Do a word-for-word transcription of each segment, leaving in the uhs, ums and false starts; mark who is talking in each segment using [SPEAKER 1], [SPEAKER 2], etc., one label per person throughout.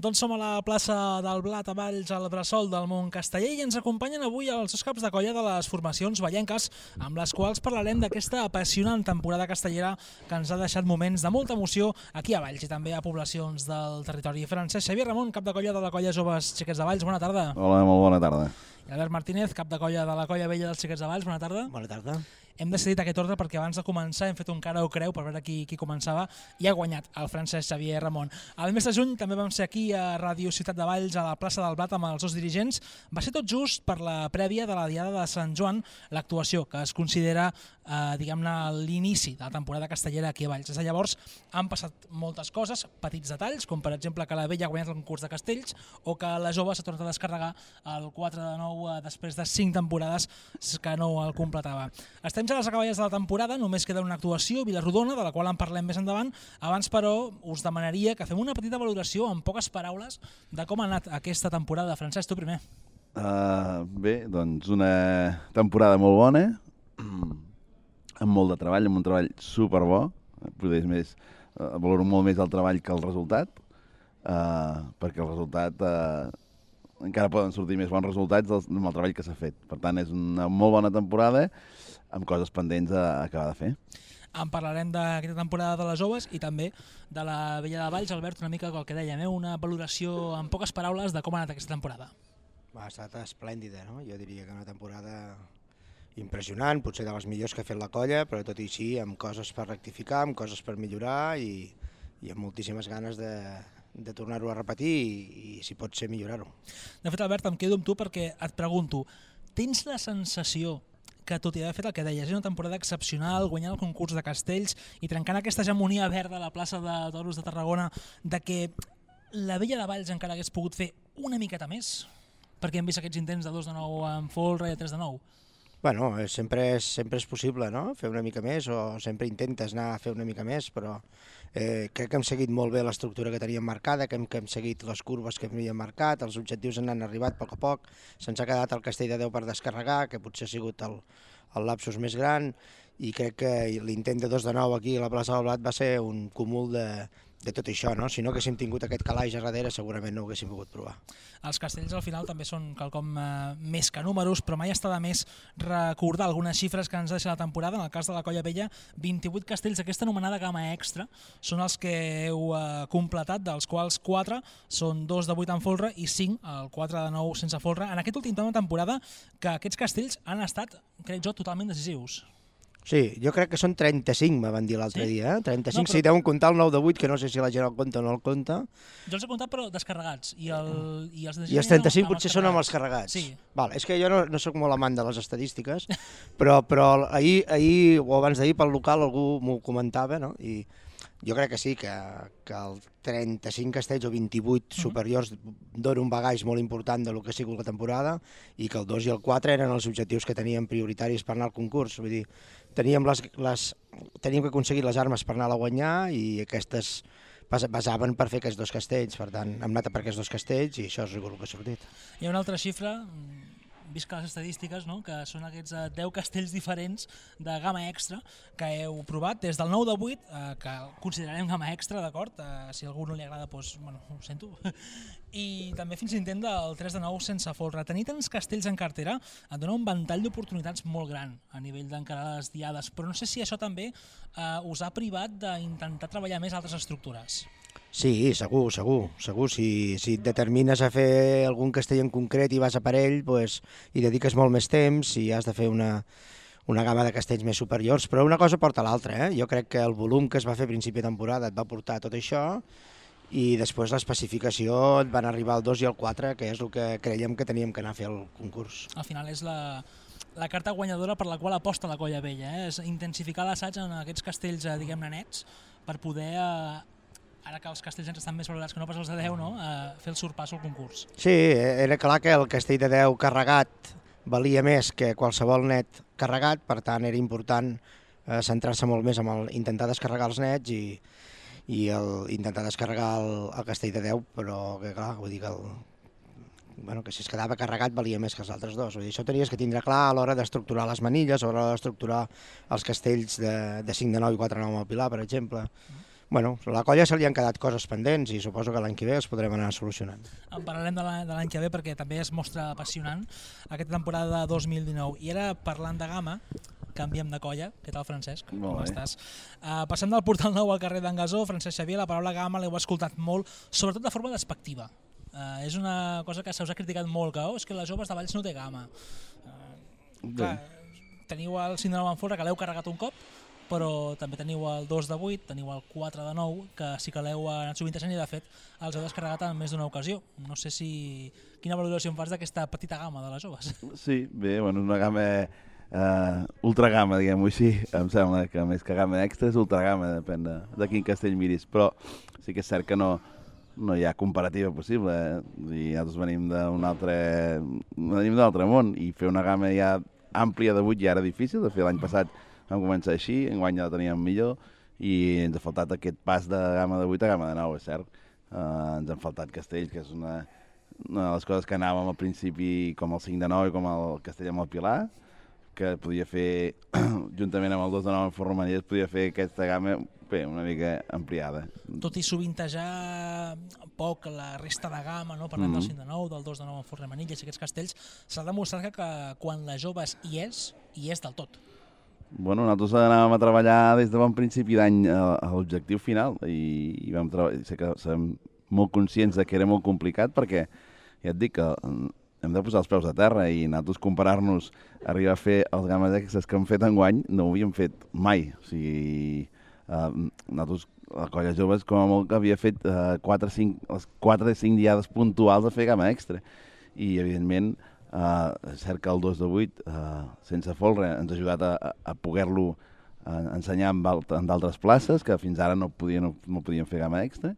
[SPEAKER 1] Doncs som a la plaça del Blat, a Valls, al bressol del món casteller, i ens acompanyen avui els dos caps de colla de les formacions vallenques, amb les quals parlarem d'aquesta apassionant temporada castellera que ens ha deixat moments de molta emoció aquí a Valls i també a poblacions del territori. Francesc Xavier Ramon, cap de colla de la colla Joves Xiquets de Valls, bona tarda.
[SPEAKER 2] Hola, molt bona tarda.
[SPEAKER 1] I Albert Martínez, cap de colla de la colla vella dels Xiquets de Valls, bona tarda.
[SPEAKER 3] Bona tarda.
[SPEAKER 1] Hem decidit aquest ordre perquè abans de començar hem fet un cara o creu per veure qui, qui començava i ha guanyat el Francesc Xavier Ramon. El mes de juny també vam ser aquí a Ràdio Ciutat de Valls, a la plaça del Blat, amb els dos dirigents. Va ser tot just per la prèvia de la Diada de Sant Joan, l'actuació que es considera eh, diguem-ne l'inici de la temporada castellera aquí a Valls. Des de llavors han passat moltes coses, petits detalls, com per exemple que la vella ha guanyat el concurs de castells o que la jove s'ha tornat a descarregar el quatre de nou eh, després de cinc temporades que no el completava. Estem ja a les acaballes de la temporada, només queda una actuació, Vilarrodona, de la qual en parlem més endavant. Abans, però, us demanaria que fem una petita valoració, en poques paraules, de com ha anat aquesta temporada. Francesc, tu primer.
[SPEAKER 2] Uh, bé, doncs una temporada molt bona, amb molt de treball, amb un treball superbo. Potser més, uh, valoro molt més el treball que el resultat, uh, perquè el resultat uh, encara poden sortir més bons resultats del, del treball que s'ha fet. Per tant, és una molt bona temporada, amb coses pendents a acabar de fer.
[SPEAKER 1] En parlarem d'aquesta temporada de les joves i també de la vella de Valls. Albert, una mica el que dèiem, eh? Una valoració en poques paraules de com ha anat aquesta temporada.
[SPEAKER 3] Ha estat esplèndida, no? Jo diria que una temporada impressionant, potser de les millors que ha fet la colla, però tot i així amb coses per rectificar, amb coses per millorar i, i amb moltíssimes ganes de, de tornar-ho a repetir i, i si pot ser millorar-ho.
[SPEAKER 1] De fet, Albert, em quedo amb tu perquè et pregunto, tens la sensació que tot i haver fet el que deies, és una temporada excepcional, guanyant el concurs de castells i trencant aquesta hegemonia verda a la plaça de Toros de Tarragona, de que la vella de Valls encara hagués pogut fer una miqueta més? Perquè hem vist aquests intents de dos de nou amb folre i de tres de nou.
[SPEAKER 3] Bueno, sempre és, sempre és possible, no?, fer una mica més, o sempre intentes anar a fer una mica més, però eh, crec que hem seguit molt bé l'estructura que teníem marcada, que hem, que hem seguit les curves que havíem marcat, els objectius han arribat a poc a poc, se'ns ha quedat el Castell de Déu per descarregar, que potser ha sigut el, el lapsus més gran, i crec que l'intent de dos de nou aquí a la plaça del Blat va ser un cúmul de, de tot això, no? Si no haguéssim tingut aquest calaix a darrere segurament no ho haguéssim pogut provar.
[SPEAKER 1] Els castells al final també són quelcom eh, més que números, però mai està de més recordar algunes xifres que ens deixa la temporada. En el cas de la colla vella, vint-i-vuit castells d'aquesta anomenada gamma extra són els que heu eh, completat, dels quals quatre són dos de vuit en folre i cinc, el quatre de nou sense folre. En aquest últim temps de temporada que aquests castells han estat, crec jo, totalment decisius.
[SPEAKER 3] Sí, jo crec que són trenta-cinc, me van dir l'altre
[SPEAKER 1] sí?
[SPEAKER 3] dia. Eh? trenta-cinc,
[SPEAKER 1] no, però...
[SPEAKER 3] si deuen comptar el nou de vuit, que no sé si la gent el compta o no el compta.
[SPEAKER 1] Jo els he comptat, però descarregats. I, el, i els,
[SPEAKER 3] I els trenta-cinc potser són amb els carregats.
[SPEAKER 1] Sí.
[SPEAKER 3] Val, és que jo no, no sóc molt amant de les estadístiques, però, però ahir, ahir o abans d'ahir pel local algú m'ho comentava, no? I jo crec que sí, que, que el trenta-cinc castells o vint-i-vuit superiors donen un bagaix molt important del que ha sigut la temporada i que el dos i el quatre eren els objectius que teníem prioritaris per anar al concurs. Vull dir, teníem, les, les, teníem que aconseguir les armes per anar a guanyar i aquestes basaven per fer aquests dos castells. Per tant, hem anat per aquests dos castells i això és el que ha sortit.
[SPEAKER 1] Hi ha una altra xifra, visca les estadístiques, no? Que són aquests deu castells diferents de gamma extra que heu provat des del nou de vuit, eh, que considerarem gamma extra, d'acord? Eh, si a algú no li agrada, doncs, bueno, ho sento. I també fins l'intent del tres de nou sense folre. Tenir tants castells en cartera et dona un ventall d'oportunitats molt gran a nivell d'encarar les diades, però no sé si això també eh, us ha privat d'intentar treballar més altres estructures.
[SPEAKER 3] Sí, segur, segur, segur. Si, si et determines a fer algun castell en concret i vas a per ell, pues, i dediques molt més temps i has de fer una, una gamma de castells més superiors, però una cosa porta a l'altra. Eh? Jo crec que el volum que es va fer a principi de temporada et va portar tot això i després l'especificació et van arribar al dos i al quatre, que és el que creiem que teníem que anar a fer al concurs.
[SPEAKER 1] Al final és la, la carta guanyadora per la qual aposta la colla vella, eh? És intensificar l'assaig en aquests castells, diguem-ne, nets, per poder... Eh, ara que els castells ens estan més valorats que no pas els de deu, no? Eh, fer el sorpàs al concurs.
[SPEAKER 3] Sí, era clar que el castell de deu carregat valia més que qualsevol net carregat, per tant era important eh, centrar-se molt més en el, intentar descarregar els nets i, i el, intentar descarregar el, el castell de deu, però que clar, vull dir que, el, bueno, que si es quedava carregat valia més que els altres dos. Vull dir, això tenies que tindre clar a l'hora d'estructurar les manilles, a l'hora d'estructurar els castells de, de cinc de nou i quatre de nou amb el Pilar, per exemple. Bueno, a la colla se li han quedat coses pendents i suposo que l'any que ve els podrem anar solucionant.
[SPEAKER 1] En parlarem de l'any que ve perquè també es mostra apassionant aquesta temporada de dos mil dinou. I ara, parlant de gamma, canviem de colla. Què tal, Francesc?
[SPEAKER 2] Molt
[SPEAKER 1] Com
[SPEAKER 2] bé.
[SPEAKER 1] estàs? Uh, passant del Portal Nou al carrer d'en Gasó, Francesc Xavier, la paraula gamma l'heu escoltat molt, sobretot de forma despectiva. Uh, és una cosa que se us ha criticat molt, que oh, és que les joves de Valls no té gamma. Uh, clar, teniu el síndrome d'Enfolre, que l'heu carregat un cop, però també teniu el dos de vuit, teniu el quatre de nou, que sí que l'heu anat sovintejant i de fet els heu descarregat en més d'una ocasió. No sé si... Quina valoració em fas d'aquesta petita gamma de les joves?
[SPEAKER 2] Sí, bé, bueno, és una gamma eh, ultragama, diguem-ho així. Em sembla que més que gamma extra és ultragama, depèn de, de quin castell miris, però sí que és cert que no, no hi ha comparativa possible. Eh? I nosaltres venim d'un altre, venim d'un altre món i fer una gamma ja àmplia de vuit ja era difícil. De fet, l'any passat vam començar així, enguany ja la teníem millor i ens ha faltat aquest pas de gamma de vuit a gamma de nou, és cert. Uh, ens han faltat castells, que és una, una de les coses que anàvem al principi com el cinc de nou i com el castell amb el Pilar, que podia fer, juntament amb el dos de nou en Font Romanies, podia fer aquesta gamma bé, una mica ampliada.
[SPEAKER 1] Tot i sovintejar poc la resta de gamma, no? Parlem mm-hmm. del cinc de nou, del dos de nou en Font Romanies i aquests castells, s'ha demostrat que, que quan la joves hi és, hi és del tot.
[SPEAKER 2] Bueno, nosaltres anàvem a treballar des de bon principi d'any a, a l'objectiu final i, i vam treballar, sé que som molt conscients de que era molt complicat perquè ja et dic que hem de posar els peus a terra i nosaltres comparar-nos, arribar a fer els gammes extras que hem fet enguany, no ho havíem fet mai. O sigui, eh, nosaltres, la colla joves, com a molt que havia fet eh, quatre o cinc diades puntuals a fer gamma extra. I, evidentment, Uh, és cert que el dos de vuit, uh, sense folre, ens ha ajudat a, a poder-lo uh, ensenyar en, en d'altres places, que fins ara no podien, no, no podien fer gamma extra.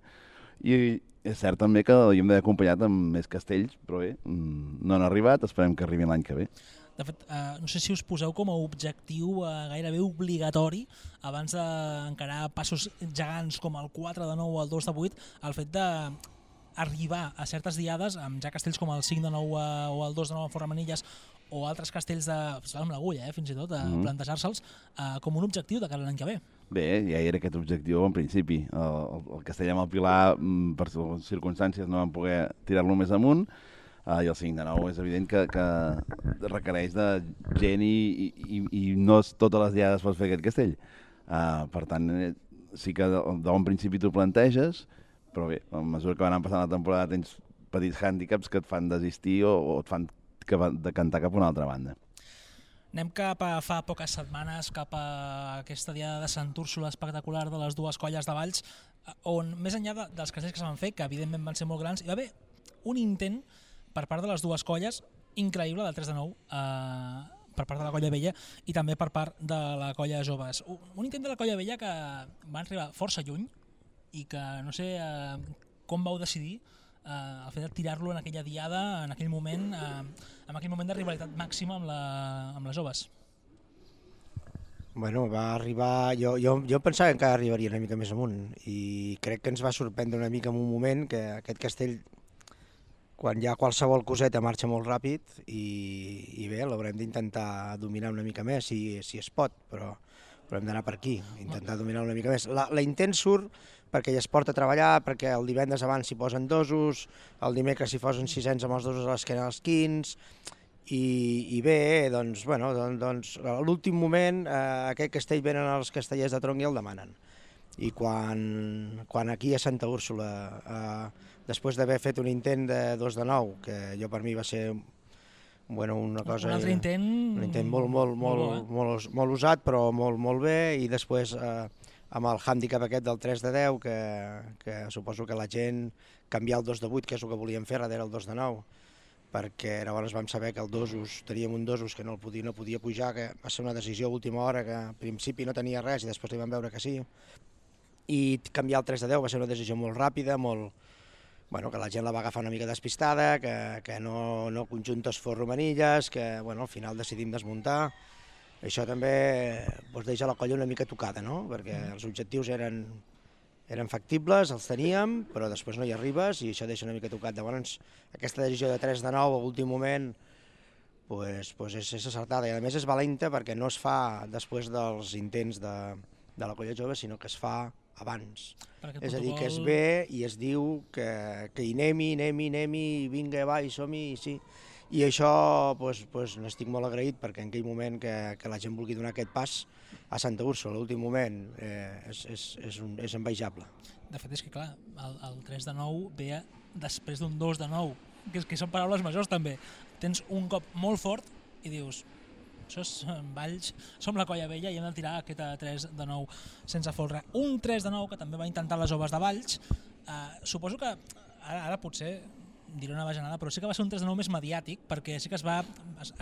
[SPEAKER 2] I és cert també que l'havíem d'haver acompanyat amb més castells, però bé, no han arribat, esperem que arribin l'any que ve.
[SPEAKER 1] De fet, uh, no sé si us poseu com a objectiu uh, gairebé obligatori, abans d'encarar passos gegants com el quatre de nou o el dos de vuit, el fet de arribar a certes diades amb ja castells com el cinc de nou eh, o el dos de nou en Font Romanies o altres castells de, amb l'agulla, eh, fins i tot, a mm-hmm. plantejar-se'ls eh, com un objectiu de cara a l'any que ve.
[SPEAKER 2] Bé, ja era aquest objectiu en principi. El, el, el castell amb el Pilar, per circumstàncies, no vam poder tirar-lo més amunt, uh, i el cinc de nou és evident que, que requereix de gent i, i, i no totes les diades pots fer aquest castell. Uh, per tant, sí que de, de bon principi t'ho planteges, però bé, a mesura que va anar passant la temporada tens petits hàndicaps que et fan desistir o, o et fan que va, de cantar cap a una altra banda.
[SPEAKER 1] Anem cap a fa poques setmanes, cap a aquesta diada de Sant Úrsula espectacular de les dues colles de Valls, on més enllà de, dels castells que se van fer, que evidentment van ser molt grans, hi va haver un intent per part de les dues colles, increïble, del tres de nou, eh, per part de la colla vella i també per part de la colla joves. Un, un intent de la colla vella que va arribar força lluny, i que no sé eh, com vau decidir eh, el fet de tirar-lo en aquella diada, en aquell moment, eh, en aquell moment de rivalitat màxima amb, la, amb les joves.
[SPEAKER 3] Bueno, va arribar... Jo, jo, jo pensava que encara arribaria una mica més amunt i crec que ens va sorprendre una mica en un moment que aquest castell, quan hi ha qualsevol coseta, marxa molt ràpid i, i bé, l'haurem d'intentar dominar una mica més si, si es pot, però, però hem d'anar per aquí, intentar dominar una mica més. La, la intent surt perquè ja es porta a treballar, perquè el divendres abans s'hi posen dosos, el dimecres s'hi posen sisens amb els dosos a l'esquena als quins, i, i bé, doncs, bueno, doncs, doncs a l'últim moment eh, aquest castell venen els castellers de tronc i el demanen. I quan, quan aquí a Santa Úrsula, eh, després d'haver fet un intent de dos de nou, que jo per mi va ser bueno, una cosa...
[SPEAKER 1] Un altre intent...
[SPEAKER 3] Un intent molt, molt, molt, molt, molt, molt usat, però molt, molt bé, i després... Eh, amb el hàndicap aquest del tres de deu, que, que suposo que la gent canviar el dos de vuit, que és el que volíem fer, darrere el dos de nou, perquè llavors vam saber que el dosos, teníem un dosos que no, el podia, no podia pujar, que va ser una decisió a última hora, que al principi no tenia res i després li vam veure que sí. I canviar el tres de deu va ser una decisió molt ràpida, molt, bueno, que la gent la va agafar una mica despistada, que, que no, no conjuntes Font Romanilles, que bueno, al final decidim desmuntar. Això també doncs, deixa la colla una mica tocada, no? Perquè els objectius eren, eren factibles, els teníem, però després no hi arribes i això deixa una mica tocat. Llavors, aquesta decisió de tres de nou a l'últim moment pues, pues és, és acertada i a més és valenta perquè no es fa després dels intents de, de la colla jove, sinó que es fa abans.
[SPEAKER 1] Perquè
[SPEAKER 3] És a dir, que es
[SPEAKER 1] protocol-
[SPEAKER 3] ve i es diu que, que hi anem-hi, anem-hi, anem-hi, vinga, va, hi som-hi, sí. I això pues, pues, n'estic molt agraït perquè en aquell moment que, que la gent vulgui donar aquest pas a Santa Úrsula, l'últim moment, eh, és, és, és, un, és envejable.
[SPEAKER 1] De fet, és que clar, el, el tres de nou ve després d'un dos de nou, que, és, que són paraules majors també. Tens un cop molt fort i dius, això és Valls, som la Colla Vella i hem de tirar aquest tres de nou sense folre. Un tres de nou que també va intentar les joves de Valls, eh, suposo que ara, ara potser diré una bajanada, però sí que va ser un tres de nou més mediàtic, perquè sí que es va...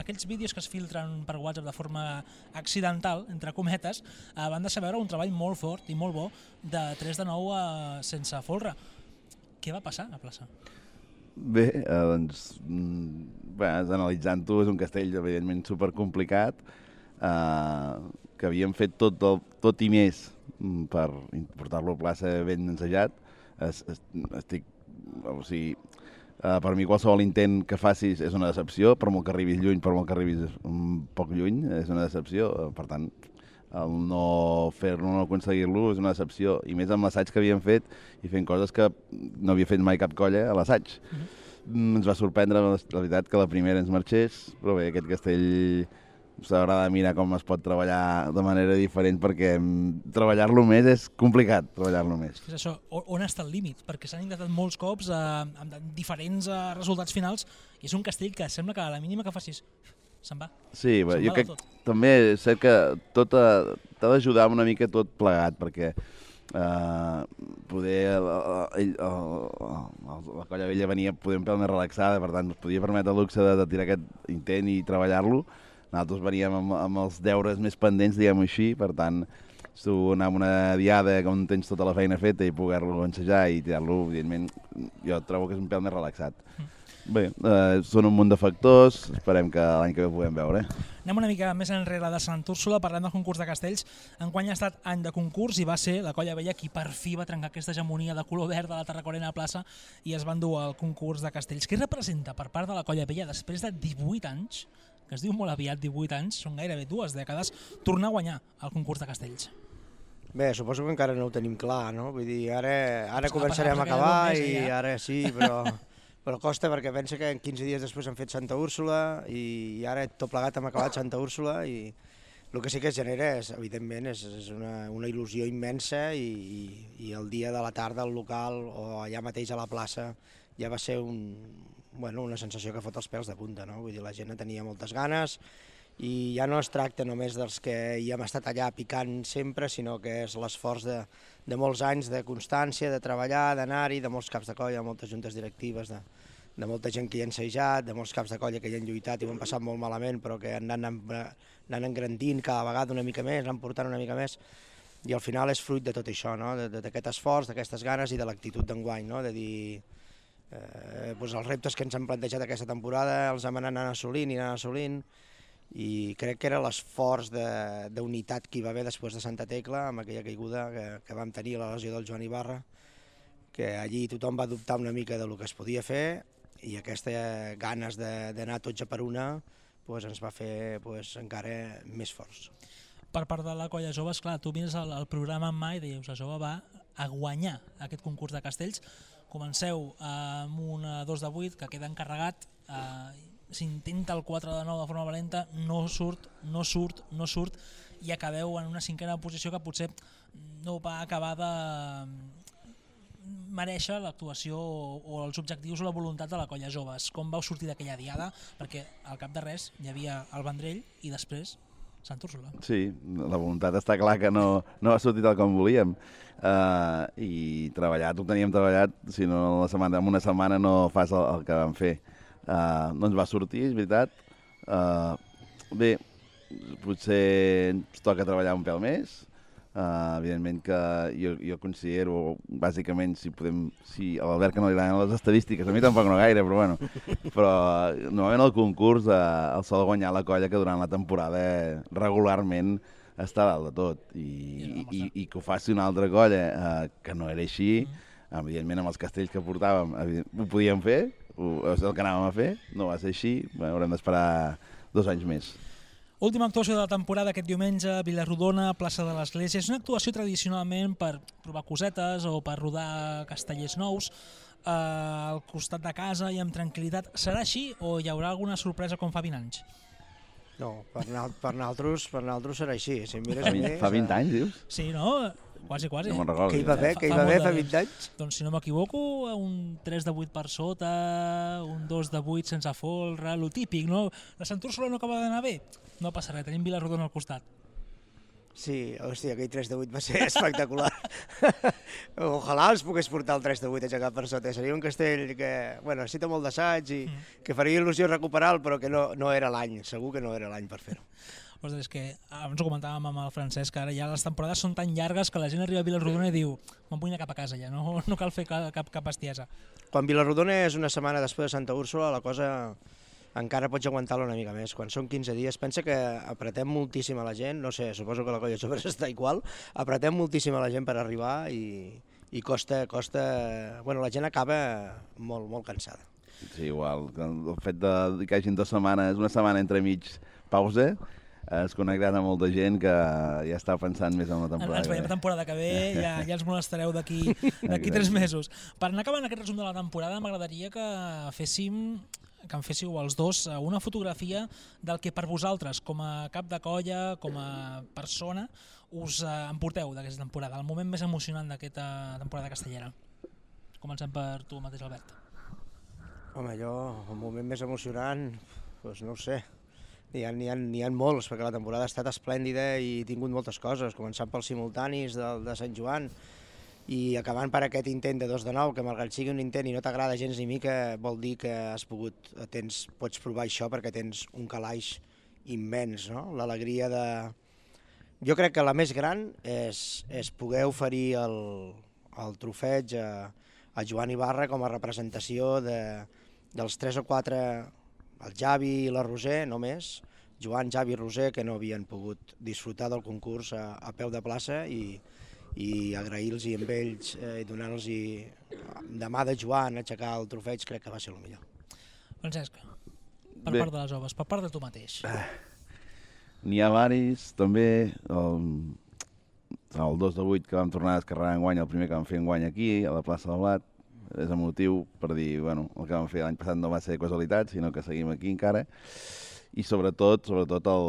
[SPEAKER 1] Aquells vídeos que es filtren per WhatsApp de forma accidental, entre cometes, eh, van deixar veure un treball molt fort i molt bo de tres de nou eh, sense folre. Què va passar a plaça?
[SPEAKER 2] Bé, eh, doncs, mm, bé, analitzant-ho, és un castell evidentment supercomplicat, eh, que havíem fet tot, el, tot i més mm, per portar-lo a plaça ben ensajat. Es, es, estic... O sigui, Uh, per mi qualsevol intent que facis és una decepció, per molt que arribis lluny, per molt que arribis un poc lluny, és una decepció. Uh, per tant, el no fer-lo, no aconseguir-lo és una decepció. I més amb l'assaig que havíem fet i fent coses que no havia fet mai cap colla a l'assaig. Mm-hmm. Mm, ens va sorprendre, la veritat, que la primera ens marxés, però bé, aquest castell s'haurà de mirar com es pot treballar de manera diferent, perquè treballar-lo més és complicat, treballar-lo més.
[SPEAKER 1] És això, on està el límit? Perquè s'han intentat molts cops eh, amb diferents eh, resultats finals i és un castell que sembla que a la mínima que facis se'n va.
[SPEAKER 2] Sí, bé,
[SPEAKER 1] se'n
[SPEAKER 2] jo
[SPEAKER 1] va
[SPEAKER 2] crec també és cert que tot t'ha d'ajudar una mica tot plegat, perquè Uh, poder uh, ell, uh, uh, la Colla Vella venia poder un pèl més relaxada, per tant es podia permetre el luxe de, de tirar aquest intent i treballar-lo. Nosaltres veníem amb, amb els deures més pendents, diguem-ho així, per tant tu anar a una diada on tens tota la feina feta i poder-lo ensejar i tirar-lo, evidentment jo trobo que és un pèl més relaxat. Mm. Bé, uh, són un munt de factors, esperem que l'any que ve ho puguem veure.
[SPEAKER 1] Anem una mica més enrere de Sant Úrsula, parlem del concurs de castells. Enguany ha estat any de concurs i va ser la Colla Vella qui per fi va trencar aquesta hegemonia de color verd de la Tarracorena a plaça i es va endur al concurs de castells. Què representa per part de la Colla Vella després de divuit anys, que es diu molt aviat divuit anys, són gairebé dues dècades, tornar a guanyar el concurs de castells?
[SPEAKER 3] Bé, suposo que encara no ho tenim clar, no? Vull dir, ara, ara
[SPEAKER 1] Pues
[SPEAKER 3] començarem a
[SPEAKER 1] passat,
[SPEAKER 3] acabar
[SPEAKER 1] perquè
[SPEAKER 3] i
[SPEAKER 1] ja.
[SPEAKER 3] ara sí, però, però costa perquè pensa que quinze dies després han fet Santa Úrsula i, i ara tot plegat hem acabat Santa Úrsula i el que sí que es genera és, evidentment, és, és una, una il·lusió immensa i, i, i el dia de la tarda al local o allà mateix a la plaça ja va ser un, bueno, una sensació que fot els pèls de punta, no? Vull dir, la gent tenia moltes ganes i ja no es tracta només dels que hi hem estat allà picant sempre, sinó que és l'esforç de, de molts anys de constància, de treballar, d'anar-hi, de molts caps de colla, de moltes juntes directives, de, de molta gent que hi ha ensejat, de molts caps de colla que hi han lluitat i ho han passat molt malament, però que han anat, anant engrandint cada vegada una mica més, han portant una mica més, i al final és fruit de tot això, no? D'aquest esforç, d'aquestes ganes i de l'actitud d'enguany, no? De dir eh, doncs els reptes que ens han plantejat aquesta temporada els hem anat assolint i anant assolint, i crec que era l'esforç d'unitat que hi va haver després de Santa Tecla, amb aquella caiguda que, que vam tenir a la lesió del Joan Ibarra, que allí tothom va dubtar una mica del que es podia fer i aquestes ganes d'anar tots a per una pues, ens va fer pues, encara més forts.
[SPEAKER 1] Per part de la Colla Jove, esclar, tu mires el, el programa en mà i dius la Jove va a guanyar aquest concurs de castells. Comenceu amb un dos de vuit que queda encarregat, eh, s'intenta el quatre de nou de forma valenta, no surt, no surt, no surt, i acabeu en una cinquena posició que potser no va acabar de mereixer l'actuació o els objectius o la voluntat de la Colla Joves. Com vau sortir d'aquella diada? Perquè al cap de res hi havia el Vendrell i després Sant Úrsula.
[SPEAKER 2] Sí, la voluntat està clar que no, no ha sortit tal com volíem. Uh, I treballat, ho teníem treballat, si no la setmana, en una setmana no fas el, el que vam fer. Uh, no ens va sortir, és veritat. Uh, bé, potser ens toca treballar un pèl més. Uh, evidentment que jo, jo considero, bàsicament, si podem, si a l'Albert que no li agraden les estadístiques, a mi tampoc no gaire, però bueno, però normalment el concurs uh, el sol guanyar la colla que durant la temporada regularment està dalt de tot i, i, i, i que ho faci una altra colla uh, que no era així, evidentment amb els castells que portàvem ho podíem fer, ho, és el que anàvem a fer, no va ser així, bueno, haurem d'esperar dos anys més.
[SPEAKER 1] Última actuació de la temporada aquest diumenge, Vila-rodona, plaça de l'Església. És una actuació tradicionalment per provar cosetes o per rodar castellers nous eh, al costat de casa i amb tranquil·litat. Serà així o hi haurà alguna sorpresa com fa vint anys?
[SPEAKER 3] No, per, per nosaltres, per nosaltres serà així. Si mires
[SPEAKER 2] Fa, vint, fa vint anys, dius?
[SPEAKER 1] Sí, no? Quasi, quasi.
[SPEAKER 2] No me'n recordo.
[SPEAKER 3] Què hi va haver, què hi va haver fa vint anys?
[SPEAKER 1] Doncs si no m'equivoco, un tres de vuit per sota, un dos de vuit sense folre, lo típic, no? La Sant Úrsula no acaba d'anar bé? No passa res, tenim Vila-rodona al costat.
[SPEAKER 3] Sí, hòstia, aquell tres de vuit va ser espectacular. Ojalà els pogués portar el tres de vuit aixecat per sota. Seria un castell que, bueno, necessita molt d'assaig i mm. que faria il·lusió recuperar-lo, però que no, no era l'any, segur que no era l'any per fer-ho.
[SPEAKER 1] Ostres, és que abans ho comentàvem amb el Francesc, que ara ja les temporades són tan llargues que la gent arriba a Vila-rodona i diu me'n vull anar cap a casa ja, no, no cal fer cap, cap bestiesa.
[SPEAKER 3] Quan Vila-rodona és una setmana després de Santa Úrsula, la cosa encara pots aguantar-la una mica més. Quan són quinze dies, pensa que apretem moltíssim a la gent, no sé, suposo que la colla jove està igual, apretem moltíssim a la gent per arribar i, i costa, costa... Bueno, la gent acaba molt, molt cansada.
[SPEAKER 2] Sí, igual. El fet de que hagin dues setmanes, una setmana entre mig pausa, has connectat amb molta gent que ja està pensant més en la temporada.
[SPEAKER 1] Ens veiem la temporada que ve, ja, ja ens molestareu d'aquí tres mesos. Per anar acabant aquest resum de la temporada, m'agradaria que féssim que em féssiu els dos una fotografia del que per vosaltres, com a cap de colla, com a persona, us emporteu d'aquesta temporada, el moment més emocionant d'aquesta temporada castellera. Comencem per tu mateix, Albert.
[SPEAKER 3] Home, jo, el moment més emocionant, doncs no ho sé. N'hi ha, n'hi ha, n'hi ha molts, perquè la temporada ha estat esplèndida i he tingut moltes coses, començant pels simultanis de, de Sant Joan, i acabant per aquest intent de dos de nou, que malgrat sigui un intent i no t'agrada gens ni mica, vol dir que has pogut, tens, pots provar això perquè tens un calaix immens, no? L'alegria de... Jo crec que la més gran és, és poder oferir el, el trofeig a, a Joan Ibarra com a representació de, dels tres o quatre, el Javi i la Roser només, Joan, Javi i Roser, que no havien pogut disfrutar del concurs a, a peu de plaça i i agrair-los amb ells i eh, donar-los de mà de Joan aixecar el trofeig, crec que va ser el millor.
[SPEAKER 1] Francesc, per
[SPEAKER 2] Bé.
[SPEAKER 1] part de les joves, per part de tu mateix.
[SPEAKER 2] Ah, n'hi ha varis, també. El, el dos de vuit que vam tornar a descarregar en guany, el primer que vam fer en guany aquí, a la plaça del Blat, és emotiu per dir, bueno, el que vam fer l'any passat no va ser casualitat, sinó que seguim aquí encara. I sobretot, sobretot el,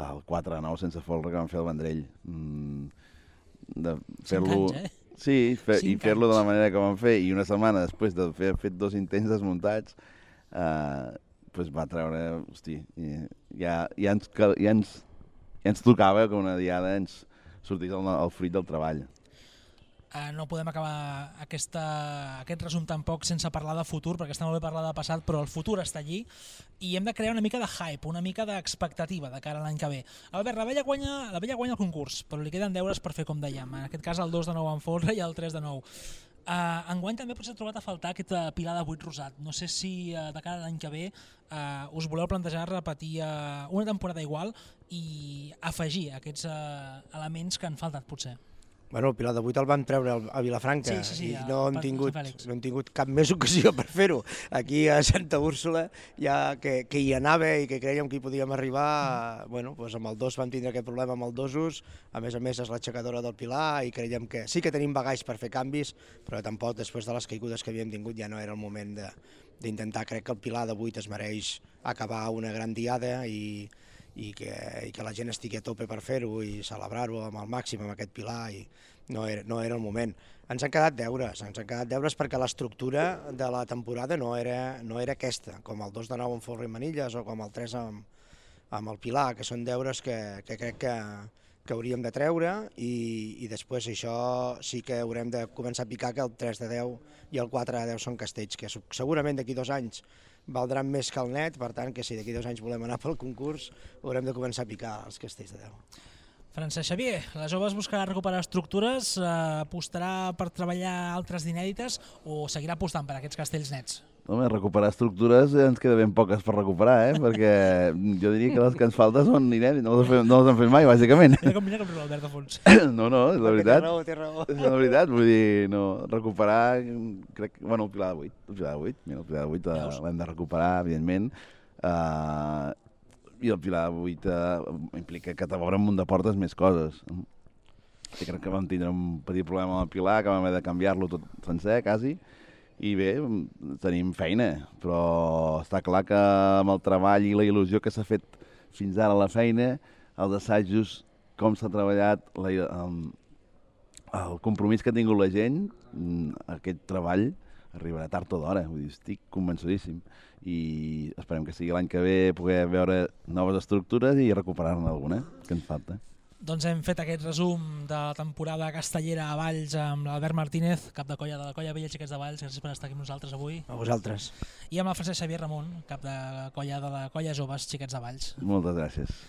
[SPEAKER 2] el quatre a nou sense folre que vam fer al Vendrell. Mm, de fer-lo...
[SPEAKER 1] Cinc anys, eh?
[SPEAKER 2] Sí, fer, i
[SPEAKER 1] Cinc
[SPEAKER 2] fer-lo de la
[SPEAKER 1] anys.
[SPEAKER 2] manera que vam fer, i una setmana després de fer fet dos intents desmuntats, eh, pues va treure, hosti, i ja, ja, ens, cal- ja, ens, ja ens tocava que una diada ens sortís el, el fruit del treball.
[SPEAKER 1] Uh, no podem acabar aquesta, aquest resum tampoc sense parlar de futur, perquè està molt bé parlar de passat, però el futur està allí i hem de crear una mica de hype, una mica d'expectativa de cara a l'any que ve. Albert, la Vella guanya, la Vella guanya el concurs, però li queden deures per fer com dèiem. En aquest cas el dos de nou en folre i el tres de nou. Uh, enguany també potser he trobat a faltar aquest uh, pilar de vuit rosat. No sé si uh, de cara a l'any que ve uh, us voleu plantejar repetir uh, una temporada igual i afegir aquests uh, elements que han faltat potser.
[SPEAKER 3] Bueno, el Pilar de vuit el van treure al- a Vilafranca
[SPEAKER 1] Sí, sí, sí,
[SPEAKER 3] i
[SPEAKER 1] a-
[SPEAKER 3] no hem,
[SPEAKER 1] per-
[SPEAKER 3] tingut,
[SPEAKER 1] Sant Fèlix.
[SPEAKER 3] no hem tingut cap més ocasió per fer-ho. Aquí a Santa Úrsula, ja que, que hi anava i que creiem que hi podíem arribar, bueno, doncs amb el dos vam tindre aquest problema amb el dosos, a més a més és l'aixecadora del Pilar i creiem que sí que tenim bagalls per fer canvis, però tampoc després de les caigudes que havíem tingut ja no era el moment de- d'intentar. Crec que el Pilar de vuit es mereix acabar una gran diada i, i que, i que la gent estigui a tope per fer-ho i celebrar-ho amb el màxim amb aquest Pilar i no era, no era el moment. Ens han quedat deures, ens han quedat deures perquè l'estructura de la temporada no era, no era aquesta, com el dos de nou amb Folre i Manilles o com el tres amb, amb el Pilar, que són deures que, que crec que, que hauríem de treure i, i després això sí que haurem de començar a picar que el tres de deu i el quatre de deu són castells, que segurament d'aquí dos anys valdran més que el net, per tant que si d'aquí dos anys volem anar pel concurs haurem de començar a picar els castells de deu.
[SPEAKER 1] Francesc Xavier, la joves buscarà recuperar estructures, eh, apostarà per treballar altres d'inèdites o seguirà apostant per aquests castells nets?
[SPEAKER 2] Home, recuperar estructures ens queda ben poques per recuperar, eh? Perquè jo diria que les que ens falten són inèdits, no les, fem, no les hem fet mai, bàsicament.
[SPEAKER 1] Mira com mira com riu l'Albert de fons.
[SPEAKER 2] No, no, és la
[SPEAKER 3] Té
[SPEAKER 2] veritat.
[SPEAKER 3] raó, té raó.
[SPEAKER 2] És la veritat, vull dir, no, recuperar, crec, bueno, el Pilar de vuit, el Pilar de vuit, mira, el Pilar de vuit eh,
[SPEAKER 1] Veus?
[SPEAKER 2] l'hem de recuperar, evidentment. Uh, i el Pilar vuit implica que t'obre un munt de portes més coses. I crec que vam tindre un petit problema amb el Pilar, que vam haver de canviar-lo tot sencer, quasi, i bé, tenim feina, però està clar que amb el treball i la il·lusió que s'ha fet fins ara a la feina, els assajos, com s'ha treballat, la, el, el compromís que ha tingut la gent, aquest treball arribarà tard o d'hora, vull dir, estic convençudíssim. I esperem que sigui l'any que ve poder veure noves estructures i recuperar-ne alguna, que ens falta.
[SPEAKER 1] Doncs hem fet aquest resum de la temporada castellera a Valls amb l'Albert Martínez, cap de colla de la colla Vella Xiquets de Valls. Gràcies per estar aquí amb nosaltres avui.
[SPEAKER 3] A vosaltres.
[SPEAKER 1] I amb el Francesc Xavier Ramon, cap de colla de la colla Joves Xiquets de Valls.
[SPEAKER 2] Moltes gràcies.